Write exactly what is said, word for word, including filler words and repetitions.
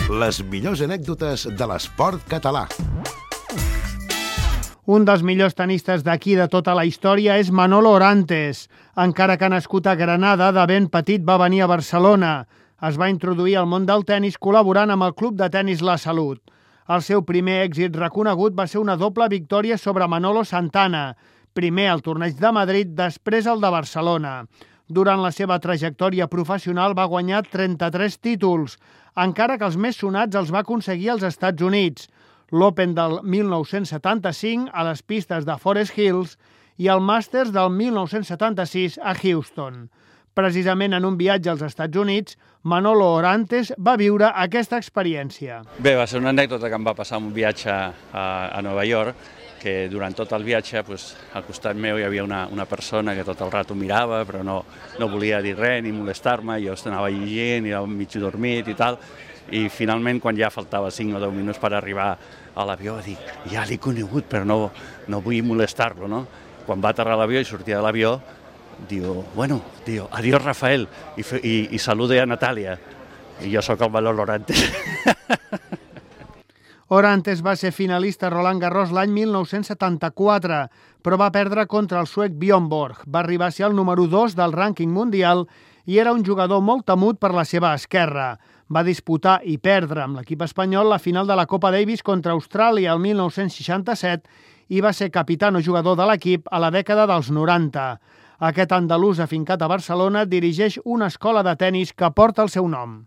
Les millors anècdotes de l'esport català. Un dels millors tenistes d'aquí de tota la història és Manolo Orantes. Encara que ha nascut a Granada, de ben petit va venir a Barcelona. Es va introduir al món del tenis col·laborant amb el Club de Tenis La Salut. El seu primer èxit reconegut va ser una doble victòria sobre Manolo Santana, primer al torneig de Madrid, després el de Barcelona. Durant la seva trajectòria professional va guanyar trenta-tres títols, encara que els més sonats els va aconseguir als Estats Units, l'Open del mil nou-cents setanta-cinc a les pistes de Forest Hills i el Masters del mil nou-cents setanta-sis a Houston. Precisament en un viatge als Estats Units, Manolo Orantes va viure aquesta experiència. Bé, va ser una anècdota que em va passar un viatge a, a Nova York, que durant tot el viatge pues, al costat meu hi havia una, una persona que tot el rato mirava, però no, no volia dir res ni molestar-me, jo anava llegint i era mig dormit i tal, i finalment quan ja faltava cinc o deu minuts per arribar a l'avió, dic, ja l'he conegut, però no, no vull molestar-lo, no? Quan va aterrar l'avió i sortia de l'avió, diu, bueno, diu, adiós Rafael, i, i, i salude a Natàlia, i jo sóc el Manolo Orantes. Orantes va ser finalista a Roland Garros l'any mil nou-cents setanta-quatre, però va perdre contra el suec Bjorn Borg. Va arribar a ser el número dos del rànquing mundial i era un jugador molt temut per la seva esquerra. Va disputar i perdre amb l'equip espanyol la final de la Copa Davis contra Austràlia el mil nou-cents seixanta-set i va ser capità o jugador de l'equip a la dècada dels noranta. Aquest andalús afincat a Barcelona dirigeix una escola de tenis que porta el seu nom.